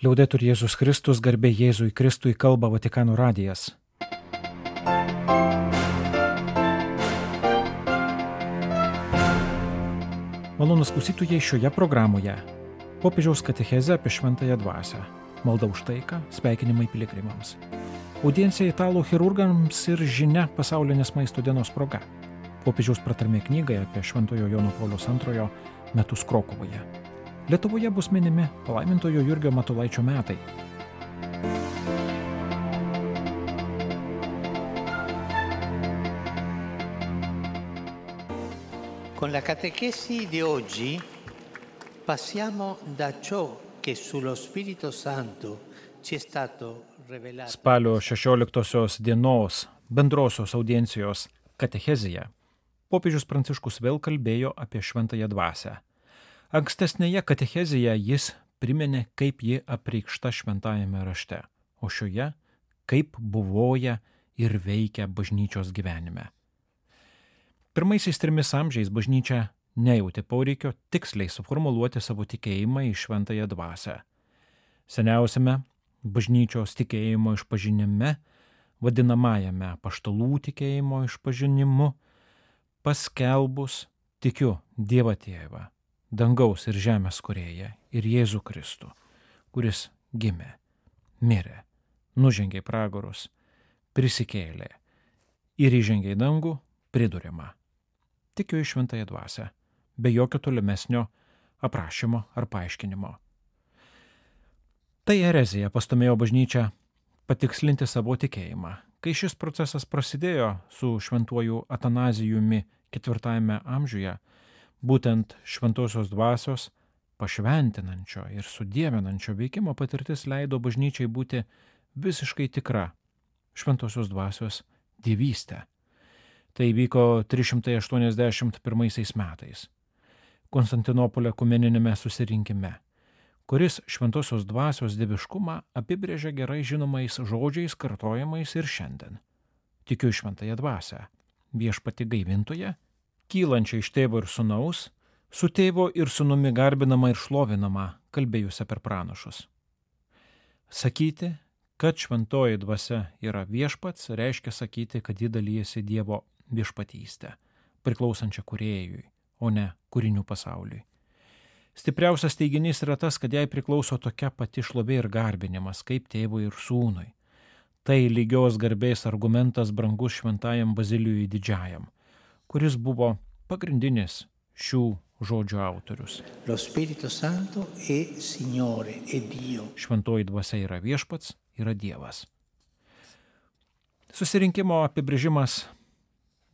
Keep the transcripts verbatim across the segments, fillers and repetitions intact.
Liaudetur Jėzus Kristus, garbė Jėzui Kristui, kalba Vatikano radijas. Malonūs klausytojai, šioje programoje popiežiaus katechezė apie šventąją dvasią, malda už taiką, sveikinimai piligrimams, audiencija italų chirurgams ir žinia pasaulinės maisto dienos proga, popiežiaus pratarmė knygai apie šventojo Jono Pauliaus antrojo metus Krokuvoje. Lietuvoje bus minimi palaimintojo Jurgio Matulaičio metai. Con la catechesi di oggi passiamo da ciò che sullo Spirito Santo ci è stato rivelato. Spalio šešioliktosios dienos bendrosios audiencijos katechezėje popiežius Pranciškus vėl kalbėjo apie šventąją dvasią. Ankstesnėje katechezėje jis priminė, kaip ji apreikšta šventajame rašte, o šioje kaip buvoja ir veikia bažnyčios gyvenime. Pirmaisiais trimis amžiais bažnyčia nejautė poreikio tiksliai suformuluoti savo tikėjimą į šventąją dvasią. Seniausiame bažnyčios tikėjimo išpažinime, vadinamajame apaštalų tikėjimo išpažinimu, paskelbus tikiu Dievą Tėvą, dangaus ir žemės kūrėją ir Jėzų Kristų, kuris gimė, mirė, nužengė į pragarus, prisikėlė ir įžengė į dangų, priduriama. Tikiu į šventąją dvasią, be jokio tolimesnio aprašymo ar paaiškinimo. Tai erezija pastumėjo bažnyčią patikslinti savo tikėjimą. Kai šis procesas prasidėjo su šventuoju Atanazijumi ketvirtajame amžiuje, būtent šventosios dvasios pašventinančio ir sudievinančio veikimo patirtis leido bažnyčiai būti visiškai tikra šventosios dvasios dievystė. Tai vyko trys šimtai aštuoniasdešimt pirmaisiais metais Konstantinopolio ekumeniniame susirinkime, kuris šventosios dvasios dieviškumą apibrėžia gerai žinomais žodžiais kartojamais ir šiandien. Tikiu į šventąją dvasią, viešpatį gaivintoją, kylančią iš tėvo ir sūnaus, su tėvo ir sūnumi garbinama ir šlovinama, kalbėjusią per pranašus. Sakyti, kad šventoji dvasia yra viešpats, reiškia sakyti, kad ji dalyjasi Dievo viešpatystę, priklausančią kūrėjui, o ne kūrinių pasauliui. Stipriausias teiginys yra tas, kad jai priklauso tokia pati šlovė ir garbinimas, kaip tėvui ir sūnui. Tai lygios garbės argumentas brangus šventajam Bazilijui Didžiajam, kuris buvo pagrindinis šių žodžių autorius. Lo Spirito Santo è Signore, è Dio. Šventoji dvasia yra viešpats, yra Dievas. Susirinkimo apibrėžimas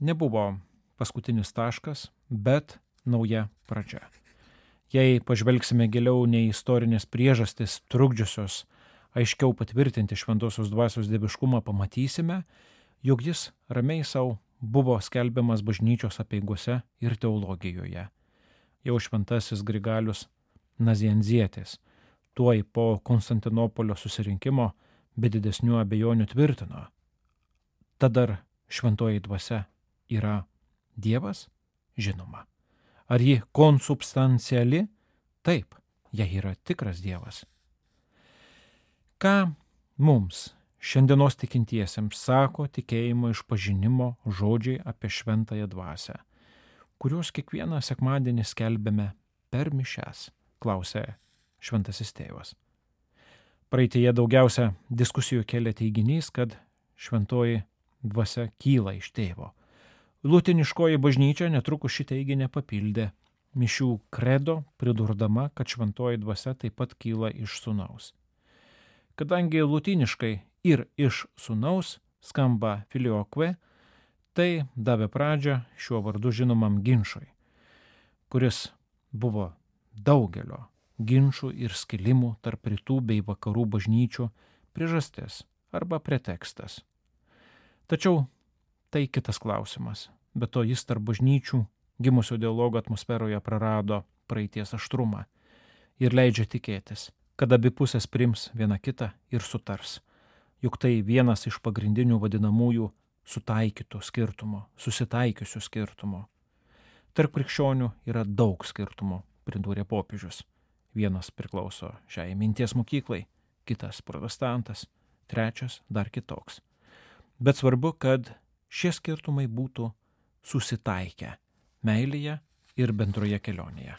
nebuvo paskutinis taškas, bet nauja pradžia. Jei pažvelgsime giliau nei istorinės priežastis trukdžiusios aiškiau patvirtinti šventosios dvasios dieviškumą, pamatysime, jog jis ramiai savo buvo skelbiamas bažnyčios apeigose ir teologijoje. Jau šventasis Grigalius Nazianzietis tuoj po Konstantinopolio susirinkimo be didesnių abejonių tvirtino: tad ar šventoji dvasia yra Dievas? Žinoma. Ar ji konsubstanciali? Taip, jei yra tikras Dievas. Ką mums šiandienos tikintiesiems sako tikėjimo išpažinimo žodžiai apie šventąją dvasią, kuriuos kiekvieną sekmadienį skelbiame per mišias, klausė šventasis tėvas. Praeitėje daugiausia diskusijų kėlė teiginys, kad šventoji dvasia kyla iš tėvo. Lutiniškoji bažnyčia netrukus šį teiginį papildė mišių kredo, pridurdama, kad šventoji dvasia taip pat kyla iš sūnaus. Kadangi lutiniškai ir iš sūnaus skamba filioque, tai davė pradžią šiuo vardu žinomam ginčui, kuris buvo daugelio ginčų ir skilimų tarp rytų bei vakarų bažnyčių priežastis arba pretekstas. Tačiau tai kitas klausimas, bet to jis tarp bažnyčių gimusio dialogo atmosferoje prarado praeities aštrumą ir leidžia tikėtis, kad abi pusės priims viena kitą ir sutars, juk tai vienas iš pagrindinių vadinamųjų sutaikytų skirtumų, susitaikiusių skirtumų. Tarp krikščionių yra daug skirtumų, pridūrė popiežius. Vienas priklauso šiai minties mokyklai, kitas protestantas, trečias dar kitoks. Bet svarbu, kad šie skirtumai būtų susitaikę meilėje ir bendroje kelionėje.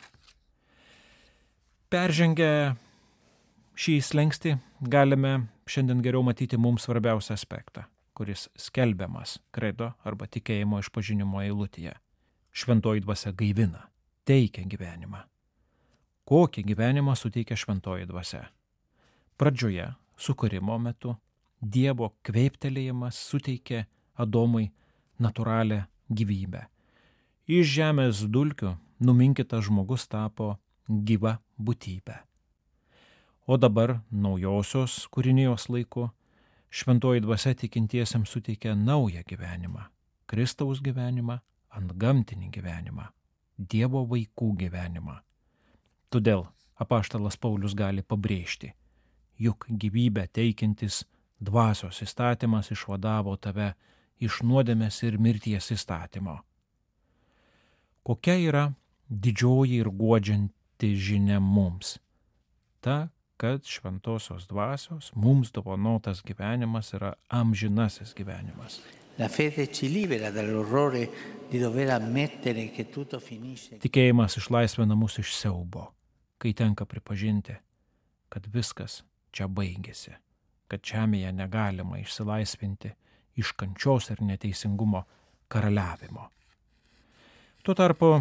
Peržengę šį slengstį galime šiandien geriau matyti mums svarbiausią aspektą, kuris skelbiamas kredo arba tikėjimo išpažinimo eilutėje. Šventoji dvasia gaivina, teikia gyvenimą. Kokį gyvenimą suteikia šventoji dvasia? Pradžioje, sukūrimo metu, Dievo kveiptelėjimas suteikė Adomui natūralią gyvybę. Iš žemės dulkių numinkytas žmogus tapo gyva būtybė. O dabar naujosios kūrinijos laiku šventoji dvasia tikintiesiems suteikia naują gyvenimą, Kristaus gyvenimą, antgamtinį gyvenimą, Dievo vaikų gyvenimą. Todėl apaštalas Paulius gali pabrėžti, juk gyvybę teikiantis dvasios įstatymas išvadavo tave iš nuodėmės ir mirties įstatymo. Kokia yra didžioji ir guodžianti žinia mums? Ta, kad šventosios dvasios mums dovanotas gyvenimas yra amžinasis gyvenimas. La fede ci libera dall'orrore di dover ammettere che tutto finisce. Tikėjimas išlaisvina mus iš siaubo, kai tenka pripažinti, kad viskas čia baigėsi, kad žemėje negalima išsilaisvinti iš kančios ir neteisingumo karaliavimo. Tuo tarpu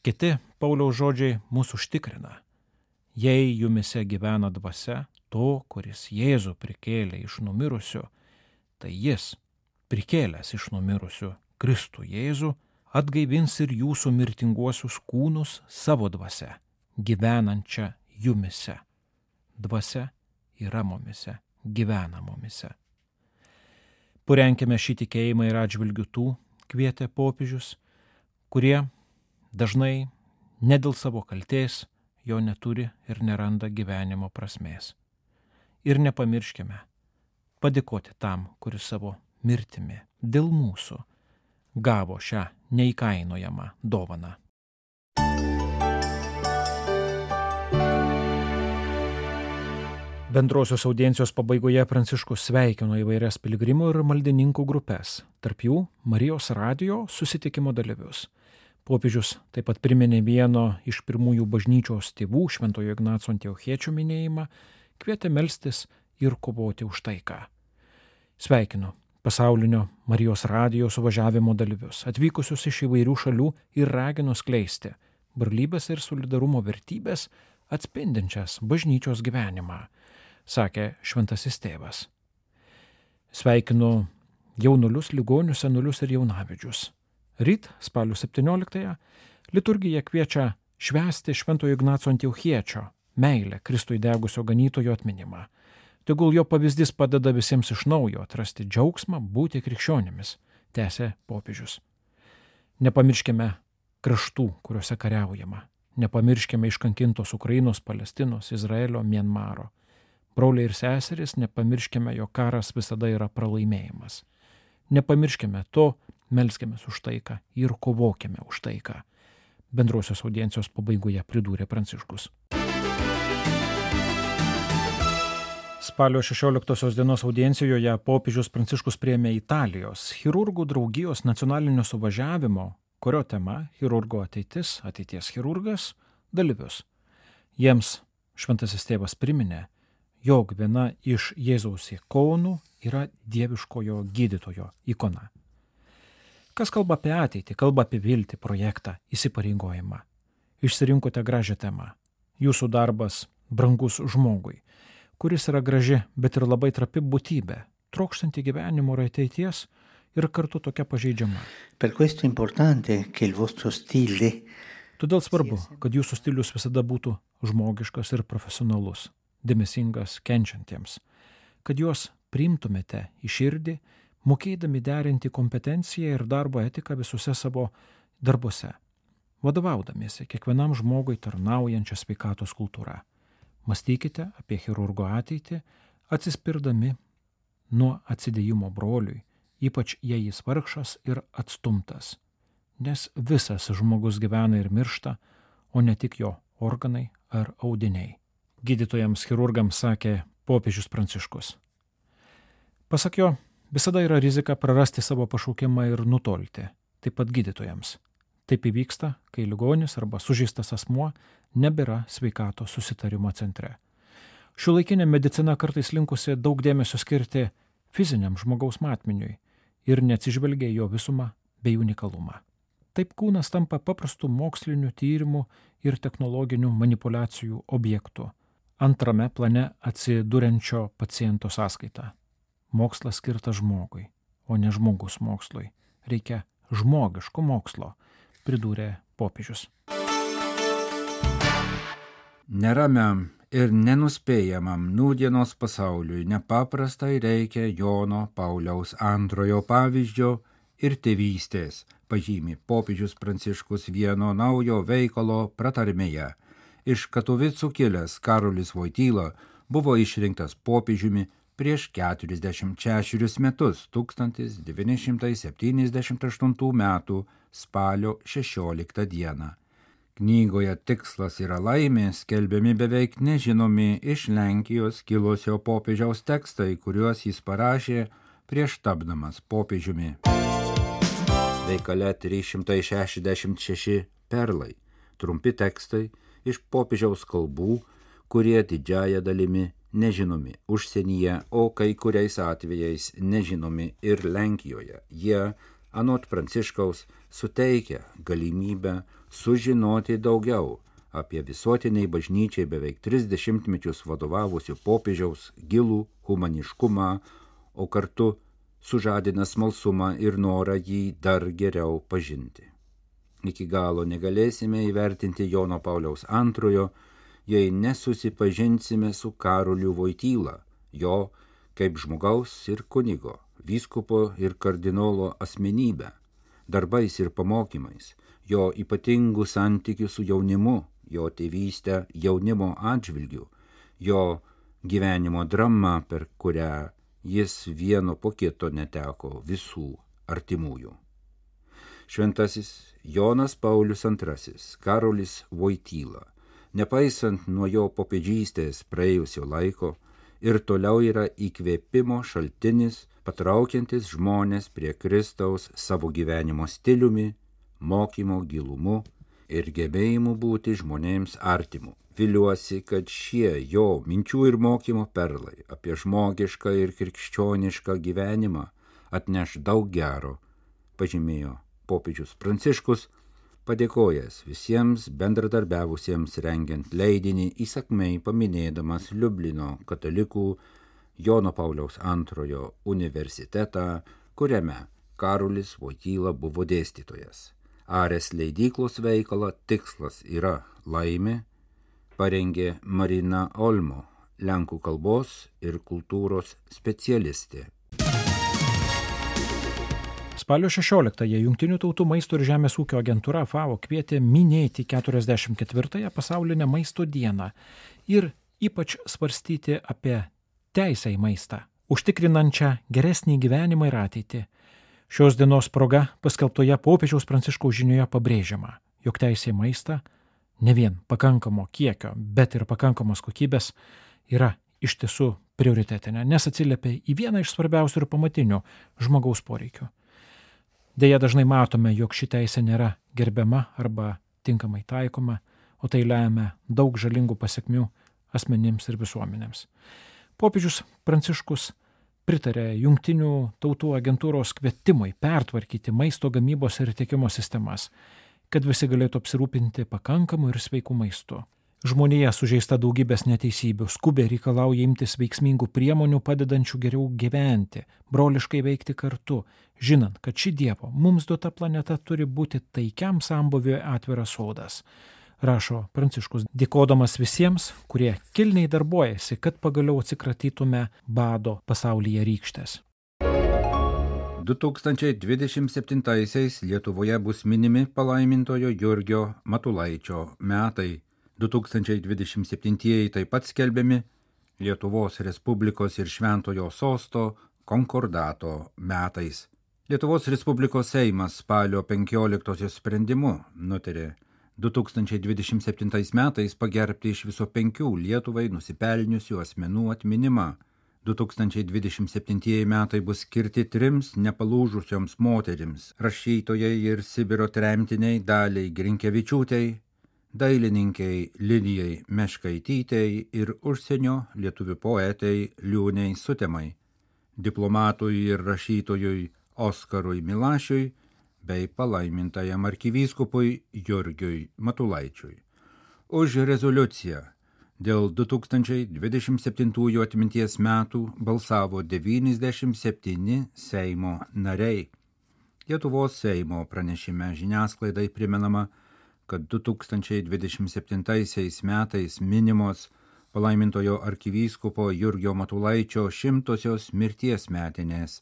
kiti Pauliaus žodžiai mūsų užtikrina. Jei jumise gyvena dvasia, to, kuris Jėzų prikėlė iš numirusių, tai jis, prikėlęs iš numirusių Kristų Jėzų, atgaivins ir jūsų mirtinguosius kūnus savo dvasia, gyvenančią jumise. Dvasia yra mumise, gyvena mumise. Purenkime šį tikėjimą ir atžvilgių tų, kvietė popiežius, kurie dažnai ne dėl savo kaltės jo neturi ir neranda gyvenimo prasmės. Ir nepamirškime padėkoti tam, kuris savo mirtimi dėl mūsų gavo šią neįkainojamą dovaną. Bendrosios audiencijos pabaigoje Pranciškus sveikino įvairias piligrimų ir maldininkų grupės, tarp jų Marijos radijo susitikimo dalyvius. Popiežius taip pat priminė vieno iš pirmųjų bažnyčios tėvų, Šventojo Ignaco Antiochiečio minėjimą, kvietė melstis ir kovoti už taiką. Sveikinu pasaulinio Marijos radijo suvažiavimo dalyvius, atvykusius iš įvairių šalių ir raginu skleisti brolybės ir solidarumo vertybės atspindinčias bažnyčios gyvenimą, sakė šventasis tėvas. Sveikinu jaunulius, ligonius, senulius ir jaunavedžius. Ryt, spalio septynioliktąją, liturgija kviečia švęsti Šventojo Ignaco Antiochiečio meilę Kristui degusio ganytojo atminimą. Tegul jo pavyzdys padeda visiems iš naujo atrasti džiaugsmą būti krikščionimis, tęsė popiežius. Nepamirškime kraštų, kuriuose kariaujama. Nepamirškime iškankintos Ukrainos, Palestinos, Izraelio, Mianmaro. Broliai ir seserys, nepamirškime, jog karas visada yra pralaimėjimas. Nepamirškime to, melskimės už taiką ir kovokime už taiką. Bendrosios audiencijos pabaigoje pridūrė Pranciškus. Spalio šešioliktosios dienos audiencijoje popiežius Pranciškus priėmė Italijos chirurgų draugijos nacionalinio suvažiavimo, kurio tema chirurgo ateitis, ateities chirurgas, dalyvius. Jiems šventasis tėvas priminė, jog viena iš Jėzaus ikonų yra dieviškojo gydytojo ikona. Kas kalba apie ateitį, kalba apie viltį, projektą, įsipareigojimą. Išsirinkote gražią temą. Jūsų darbas brangus žmogui, kuris yra graži, bet ir labai trapi būtybė, trokštanti gyvenimo ir ateities ir kartu tokia pažeidžiama. Per questo importante che il vostro stile. Todėl svarbu, kad jūsų stilius visada būtų žmogiškas ir profesionalus, dėmesingas kenčiantiems, kad juos priimtumėte į širdį, mokėdami derinti kompetenciją ir darbo etiką visuose savo darbuose, vadovaudamiesi kiekvienam žmogui tarnaujančią sveikatos kultūrą. Mąstykite apie chirurgo ateitį, atsispirdami nuo atsidėjimo broliui, ypač jei jis vargšas ir atstumtas, nes visas žmogus gyvena ir miršta, o ne tik jo organai ar audiniai. Gydytojams chirurgams sakė popiežius Pranciškus. Pasak jo, visada yra rizika prarasti savo pašaukimą ir nutolti, taip pat gydytojams. Taip įvyksta, kai ligonis arba sužeistas asmuo nebėra sveikatos susitarimo centre. Šiuolaikinė medicina kartais linkusi daug dėmesio skirti fiziniam žmogaus matmeniui ir neatsižvelgia jo visumą bei unikalumą. Taip kūnas tampa paprastų mokslinių tyrimų ir technologinių manipulacijų objektu, antrame plane atsiduriančio paciento sąskaita. Mokslas skirtas žmogui, o ne žmogus mokslui. Reikia žmogiško mokslo, pridūrė popiežius. Neramiam ir nenuspėjamam nūdienos pasauliui nepaprastai reikia Jono Pauliaus antrojo pavyzdžio ir tėvystės, pažymi popiežius Pranciškus vieno naujo veikalo pratarmėje. Iš Katovicų kilęs Karolis Voityla buvo išrinktas popiežiumi prieš keturiasdešimt šešerius metus, tūkstantis devyni šimtai septyniasdešimt aštuntų metų spalio šešioliktą dieną. Knygoje Tikslas yra laimė skelbiami beveik nežinomi iš Lenkijos kilusio popiežiaus tekstai, kuriuos jis parašė prieš tapdamas popiežiumi. Veikale trys šimtai šešiasdešimt šeši perlai, trumpi tekstai iš popiežiaus kalbų, kurie didžiąja dalimi nežinomi užsienyje, o kai kuriais atvejais nežinomi ir Lenkijoje. Jie, anot Pranciškaus, suteikia galimybę sužinoti daugiau apie visuotiniai bažnyčiai beveik tris dešimtmečius vadovavusių popiežiaus gilų humaniškumą, o kartu sužadina smalsumą ir norą jį dar geriau pažinti. Iki galo negalėsime įvertinti Jono Pauliaus antrojo, jei nesusipažinsime su Karoliu Voityla, jo kaip žmogaus ir kunigo, vyskupo ir kardinolo asmenybę, darbais ir pamokymais, jo ypatingų santykių su jaunimu, jo tėvystę jaunimo atžvilgiu, jo gyvenimo drama, per kurią jis vieno po kito neteko visų artimųjų. Šventasis Jonas Paulius antrasis, Karolis Voityla, nepaisant nuo jo popiežystės praėjusio laiko, ir toliau yra įkvėpimo šaltinis, patraukiantis žmonės prie Kristaus savo gyvenimo stiliumi, mokymo gilumu ir gebėjimu būti žmonėms artimu. Viliuosi, kad šie jo minčių ir mokymo perlai apie žmogišką ir krikščionišką gyvenimą atneš daug gero, pažymėjo popiežius Pranciškus, padėkojęs visiems bendradarbiavusiems rengiant leidinį, įsakmei paminėdamas Liublino katalikų Jono Pauliaus antrojo universitetą, kuriame Karolis Voityla buvo dėstytojas. Ares leidyklos veikalą Tikslas yra laimė parengė Marina Olmo, lenkų kalbos ir kultūros specialistė. Spalio šešioliktąją Jungtinių tautų maisto ir žemės ūkio agentūra FAO kvietė minėti keturiasdešimt ketvirtąją pasaulinę maisto dieną ir ypač svarstyti apie teisę į maistą, užtikrinančią geresnį gyvenimą ir ateitį. Šios dienos proga paskelbtoje popiežiaus Pranciškaus žinioje pabrėžiama, jog teisė į maistą ne vien pakankamo kiekio, bet ir pakankamos kokybės yra iš tiesų prioritetinė, nes atsiliepia į vieną iš svarbiausių ir pamatinių žmogaus poreikių. Deja, dažnai matome, jog ši teisė nėra gerbiama arba tinkamai taikoma, o tai lemia daug žalingų pasekmių asmenims ir visuomenėms. Popiežius Pranciškus pritarė Jungtinių tautų agentūros kvietimui pertvarkyti maisto gamybos ir tiekimo sistemas, kad visi galėtų apsirūpinti pakankamu ir sveiku maistu. Žmonija sužeista daugybės neteisybių, skubiai reikalauja imtis veiksmingų priemonių padedančių geriau gyventi, broliškai veikti kartu, žinant, kad ši Dievo mums duota planeta turi būti taikiam sambūviui atviras sodas, rašo Pranciškus, dėkodamas visiems, kurie kilniai darbuojasi, kad pagaliau atsikratytume bado pasaulyje rykštės. du tūkstančiai dvidešimt septintaisiais Lietuvoje bus minimi palaimintojo Jurgio Matulaičio metai. du tūkstančiai dvidešimt septintieji taip pat skelbiami Lietuvos Respublikos ir Šventojo Sosto konkordato metais. Lietuvos Respublikos Seimas spalio penkioliktosios sprendimu nutarė du tūkstančiai dvidešimt septintais metais pagerbti iš viso penkių Lietuvai nusipelniusių asmenų atminimą. du tūkstančiai dvidešimt septintieji metai bus skirti trims nepalūžusioms moterims – rašytojai ir Sibiro tremtiniai Daliai Grinkevičiūtei, dailininkei Lidijai Meškaitytei ir užsienio lietuvių poetei Liūnei Sutemai, diplomatui ir rašytojui Oskarui Milašiui bei palaimintajam arkivyskupui Jurgiui Matulaičiui. Už rezoliuciją dėl du tūkstančiai dvidešimt septintųjų atminties metų balsavo devyniasdešimt septyni Seimo nariai. Lietuvos Seimo pranešime žiniasklaidai primenama, kad du tūkstančiai dvidešimt septintaisiais metais minimos palaimintojo arkivyskupo Jurgio Matulaičio šimtosios mirties metinės.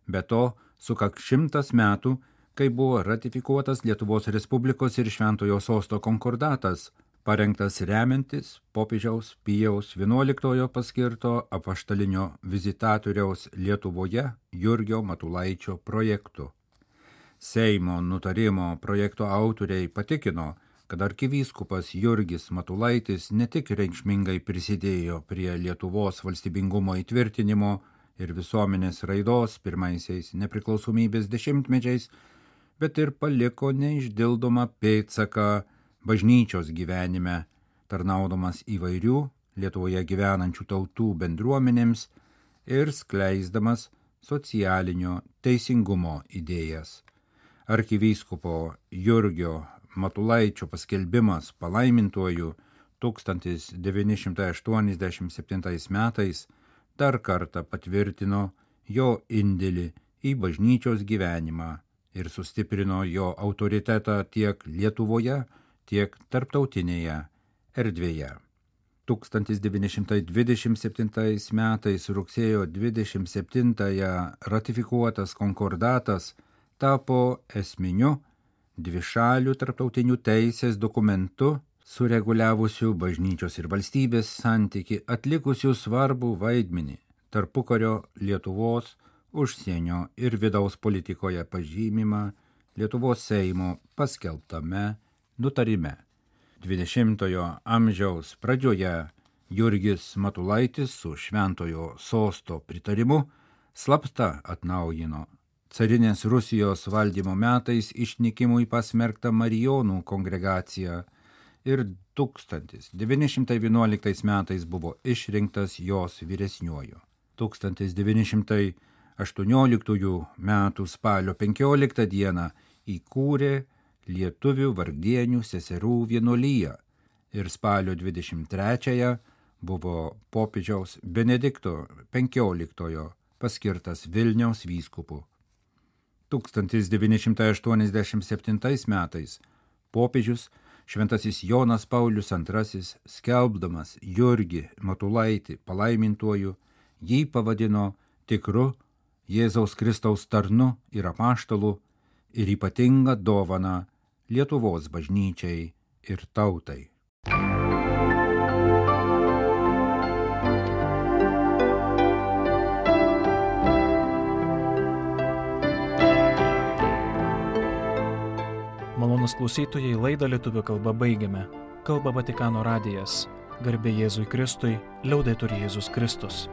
Be to, sukaks šimtas metų, kai buvo ratifikuotas Lietuvos Respublikos ir Šventojo Sosto konkordatas, parengtas remiantis popiežiaus Pijaus vienuoliktojo paskirto apaštalinio vizitatoriaus Lietuvoje Jurgio Matulaičio projektu. Seimo nutarimo projekto autoriai patikino, kad arkivyskupas Jurgis Matulaitis ne tik reikšmingai prisidėjo prie Lietuvos valstybingumo įtvirtinimo ir visuomenės raidos pirmaisiais nepriklausomybės dešimtmečiais, bet ir paliko neišdildomą pėdsaką bažnyčios gyvenime, tarnaudamas įvairių Lietuvoje gyvenančių tautų bendruomenėms ir skleisdamas socialinio teisingumo idėjas. Arkivyskupo Jurgio Matulaičio paskelbimas palaimintuoju tūkstantis devyni šimtai aštuoniasdešimt septintais metais dar kartą patvirtino jo indėlį į bažnyčios gyvenimą ir sustiprino jo autoritetą tiek Lietuvoje, tiek tarptautinėje erdvėje. tūkstantis devyni šimtai dvidešimt septintais metais rugsėjo dvidešimt septintąją ratifikuotas konkordatas tapo esminiu dvišalių tarptautinių teisės dokumentu sureguliavusių bažnyčios ir valstybės santyki atlikusių svarbų vaidmenį tarpukario Lietuvos užsienio ir vidaus politikoje pažymimą Lietuvos Seimo paskelbtame nutarime. dvidešimtojo amžiaus pradžioje Jurgis Matulaitis su Šventojo Sosto pritarimu slapta atnaujino carinės Rusijos valdymo metais išnykimui pasmerktą Marijonų kongregaciją ir tūkstantis devyni šimtai vienuoliktais metais buvo išrinktas jos vyresniuoju. tūkstantis devyni šimtai aštuonioliktųjų metų spalio penkioliktą dieną įkūrė Lietuvių vargdienių seserų vienuoliją ir spalio dvidešimt trečiąją buvo popiežiaus Benedikto penkioliktojo paskirtas Vilniaus vyskupu. tūkstantis devyni šimtai aštuoniasdešimt septintais metais popiežius Šventasis Jonas Paulius antrasis, skelbdamas Jurgį Matulaitį palaimintuoju, jį pavadino tikru Jėzaus Kristaus tarnu ir apaštalu ir ypatingą dovaną Lietuvos bažnyčiai ir tautai. Malonūs klausytojai, laidą lietuvių kalba baigiame. Kalba Vatikano radijas. Garbė Jėzui Kristui, liaudetur Jėzus Kristus.